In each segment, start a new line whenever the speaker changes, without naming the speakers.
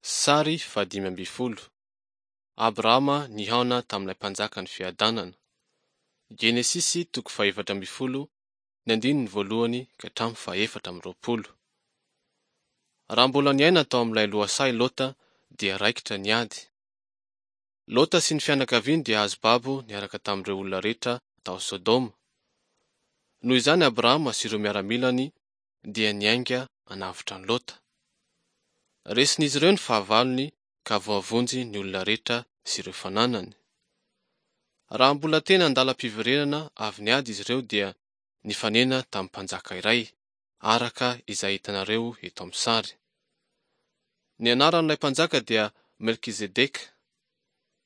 Sary fahadimy ambin'ny folo. Abrahama nihaona tamin'ilay Mpanjakan'ny fiadanana. Genesisy toko faha-14, ny andininy voalohany ka hatramin'ny faha-24. Raha mbola niaina tao amin'ilay lohasaha i Lota dia raikitra ny ady. Lota sy ny fianakaviany dia azo babo niaraka tamin'ireo olona rehetra tao Sodoma. Noho izany Abrahama sy ireo miaramilany dia niainga hanavotra an'i Lota. Resin'izy ireo ny fahavalony ka voavonjy ny olona rehetra sy ireo fananany. Raha mbola tena an-dalam-piverenana avy niady izy ireo dia nifanena tamin'ny mpanjaka iray, araka izay hitanareo eto amin'ny sary. Ny anaran'ilay mpanjaka dia Melkizedeka.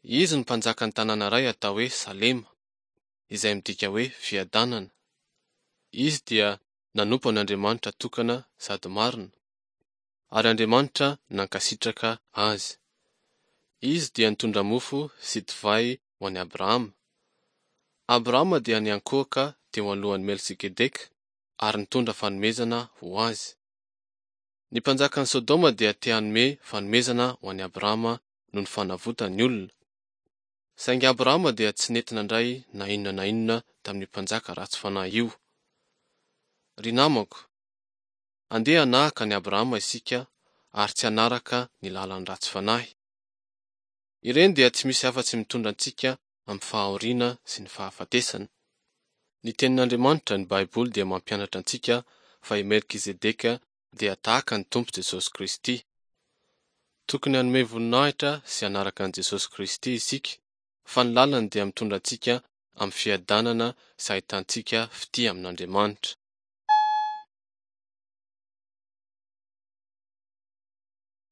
Izy no mpanjakan'ny tanàna iray atao hoe Salema, izay midika hoe fiadanana. Izy dia nanompo an'Andriamanitra tokana sady marina, ary Andriamanitra nankasitraka azy. Izy dia nitondra mofo sy divay ho an'i Abrahama. Abrahama dia niankohoka teo alohan'i Melchikedeka ary nitondra fanomezana ho azy. Ny mpanjakan'i Sodoma dia te hanome fanomezana ho an'i Abrahama noho ny fanavotany ny olona. Saingy Abrahama dia tsy nety nandray na inona na inona tamin'io mpanjaka ratsy fanahy io. Ry namako, andeha hanahaka an'i Abrahama isika ary tsy hanaraka ny lalan'ny ratsy fanahy. Ireny dia tsy misy afa-tsy mitondra antsika amin'ny fahoriana sy ny fahafatesana. Ny Tenin'Andriamanitra, ny Baiboly, dia mampianatra antsika fa i Melkizedeka dia tahaka ny Tompo Jesosy Kristy. Tokony hanome voninahitra sy hanaraka an'i Jesosy Kristy isika, fa ny lalany dia mitondra antsika amin'ny fiadanana sy ahitantsika fitia amin'Andriamanitra.